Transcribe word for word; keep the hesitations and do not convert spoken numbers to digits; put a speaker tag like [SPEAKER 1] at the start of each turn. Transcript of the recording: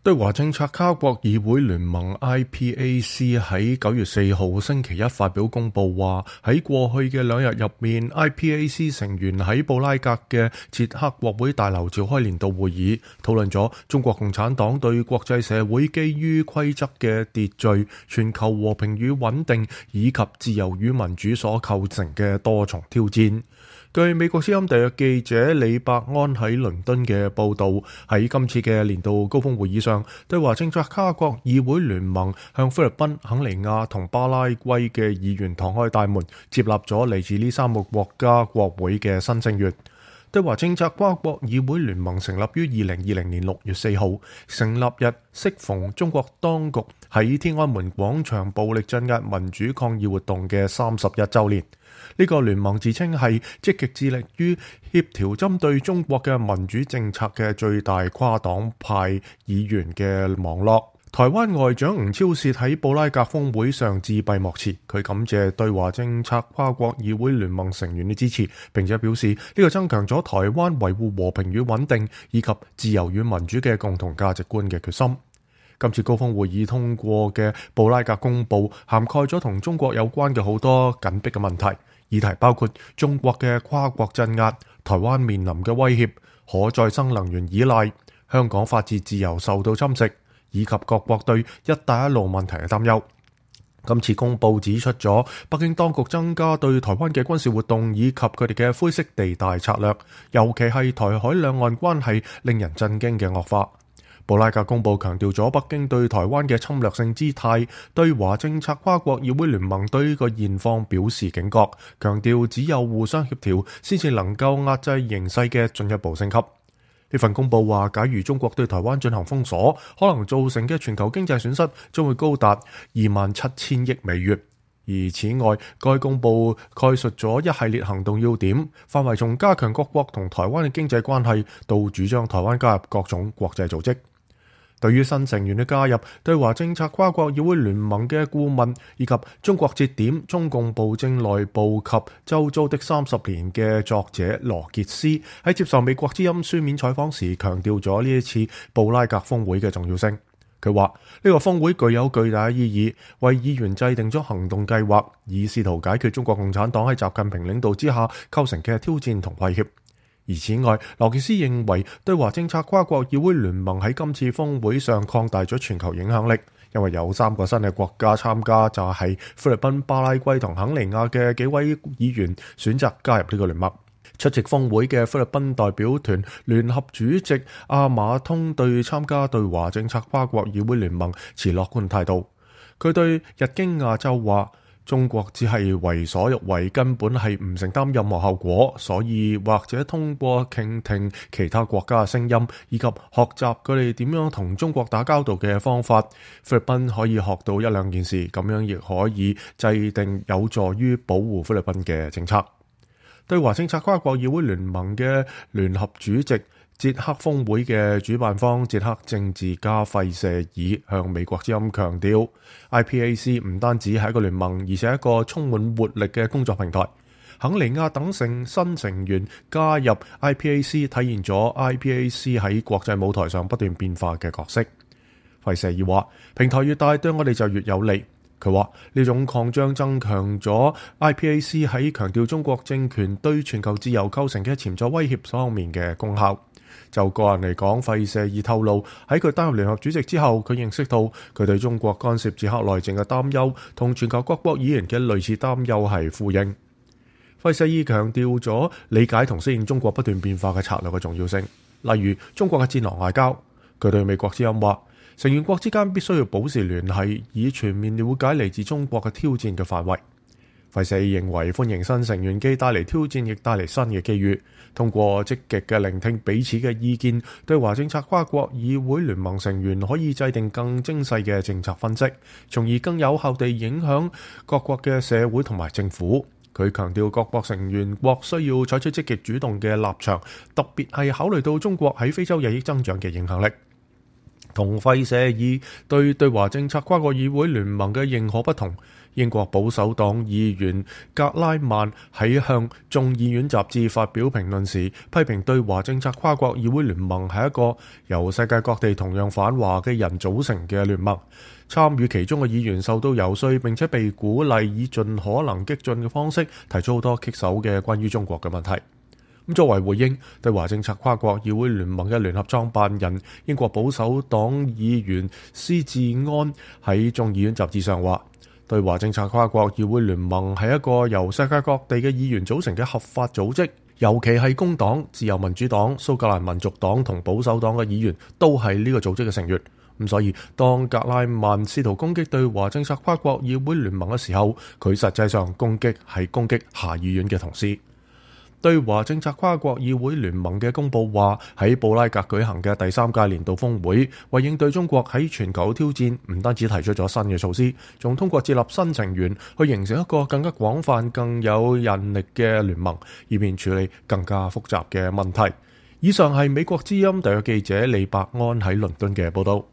[SPEAKER 1] 對華政策跨國議會聯盟 I P A C 喺九月四號星期一發表公佈話，喺過去嘅兩日入面 ，I P A C 成員喺布拉格嘅捷克國會大樓召開年度會議，討論咗中國共產黨對國際社會基於規則嘅秩序、全球和平與穩定以及自由與民主所構成嘅多重挑戰。據美國之音特約記者李伯安喺倫敦嘅報導，喺今次嘅年度高峰會議上，對華政策跨國議會聯盟向菲律賓、肯尼亞同巴拉圭嘅議員敞開大門，接納咗嚟自呢三個國家國會嘅新成員。對華政策跨國議會聯盟成立於二零二零年六月四號，成立日適逢中國當局喺天安門廣場暴力鎮壓民主抗議活動嘅三十一週年。呢個聯盟自稱係積極致力於協調針對中國嘅民主政策嘅最大跨黨派議員嘅網絡。台灣外長吳釗燮喺布拉格峰會上致閉幕詞，佢感謝對華政策跨國議會聯盟成員嘅支持，並且表示呢個增強咗台灣維護和平與穩定以及自由與民主嘅共同價值觀嘅決心。今次高峰會議通過嘅布拉格公報涵蓋咗同中國有關嘅好多緊迫嘅問題，議題包括中國嘅跨國鎮壓、台灣面臨嘅威脅、可再生能源依賴、香港法治自由受到侵蝕，以及各國對一帶一路問題嘅擔憂。今次公報指出咗北京當局增加對台灣嘅軍事活動以及佢哋嘅灰色地帶策略，尤其係台海兩岸關係令人震驚嘅惡化。布拉格公報強調咗北京對台灣嘅侵略性姿態，對華政策跨國議會聯盟對呢個現況表示警覺，強調只有互相協調先至能夠壓制形勢嘅進一步升級。呢份公報話，假如中國對台灣進行封鎖，可能造成嘅全球經濟損失將會高達二萬七千億美元。而此外，該公報概述咗一系列行動要點，範圍從加強各國同台灣嘅經濟關係，到主張台灣加入各種國際組織。對於新成員嘅加入，對華政策跨國議會聯盟嘅顧問以及中國節點中共暴政內部及周遭的三十年嘅作者羅傑斯喺接受美國之音書面採訪時，強調咗呢一次布拉格峰會嘅重要性。佢話呢個峰會具有巨大意義，為議員制定咗行動計劃，以試圖解決中國共產黨喺習近平領導之下構成嘅挑戰同威脅。而此外，羅傑斯認為對華政策跨國議會聯盟喺今次峰會上擴大咗全球影響力，因為有三個新嘅國家參加，就係菲律賓、巴拉圭同肯尼亞嘅幾位議員選擇加入呢個聯盟。出席峰會嘅菲律賓代表團聯合主席阿馬通對參加對華政策跨國議會聯盟持樂觀態度。佢對日經亞洲話：中國只係為所欲為，根本係唔承擔任何後果，所以或者通過傾聽其他國家嘅聲音，以及學習佢哋點樣同中國打交道嘅方法，菲律賓可以學到一兩件事，咁樣亦可以制定有助於保護菲律賓嘅政策。對華政策跨國議會聯盟嘅聯合主席捷克峰會嘅主辦方捷克政治家費舍爾向美國之音強調 ，I P A C 唔單止係一個聯盟，而且係一個充滿活力嘅工作平台。肯尼亞等成新成員加入 I P A C， 體現咗 I P A C 喺國際舞台上不斷變化嘅角色。費舍爾話：平台越大，對我哋就越有利。佢話呢種擴張增強咗 I P A C 喺強調中國政權對全球自由構成嘅潛在威脅方面嘅功效。就個人嚟講，費舍爾透露喺佢擔任聯合主席之後，佢認識到佢對中國干涉捷克內政嘅擔憂同全球各國議員嘅類似擔憂係呼應。費舍爾強調咗理解同適應中國不斷變化嘅策略嘅重要性，例如中國嘅戰狼外交。佢對美國之音話：成員國之間必須要保持聯繫，以全面了解嚟自中國嘅挑戰嘅範圍。費舍爾認為歡迎新成員既帶嚟挑戰，亦帶嚟新嘅機遇。通過積極嘅聆聽彼此嘅意見，對華政策跨國議會聯盟成員可以制定更精細嘅政策分析，從而更有效地影響各國嘅社會同埋政府。佢強調各國成員國需要採取積極主動嘅立場，特別係考慮到中國喺非洲日益增長嘅影響力。同費舍爾對對華政策跨國議會聯盟嘅認可不同，英國保守黨議員格拉曼喺向眾議院雜誌發表評論時，批評對華政策跨國議會聯盟係一個由世界各地同樣反華嘅人組成嘅聯盟。參與其中嘅議員受到游說，並且被鼓勵以盡可能激進嘅方式提出好多棘手嘅關於中國嘅問題。咁作為回應，對華政策跨國議會聯盟嘅聯合創辦人英國保守黨議員施志安喺眾議院雜誌上話，對華政策跨國議會聯盟係一個由世界各地嘅議員組成嘅合法組織，尤其係工黨、自由民主黨、蘇格蘭民族黨同保守黨嘅議員都係呢個組織嘅成員。咁所以，當格拉曼試圖攻擊對華政策跨國議會聯盟嘅時候，佢實際上攻擊係攻擊下議院嘅同事。對華政策跨國議會聯盟嘅公佈話，喺布拉格舉行嘅第三屆年度峰會，為應對中國喺全球挑戰，唔單止提出咗新嘅措施，仲通過接納新成員去形成一個更加廣泛、更有韌力嘅聯盟，以便處理更加複雜嘅問題。以上係美國之音特約記者李伯安喺倫敦嘅報導。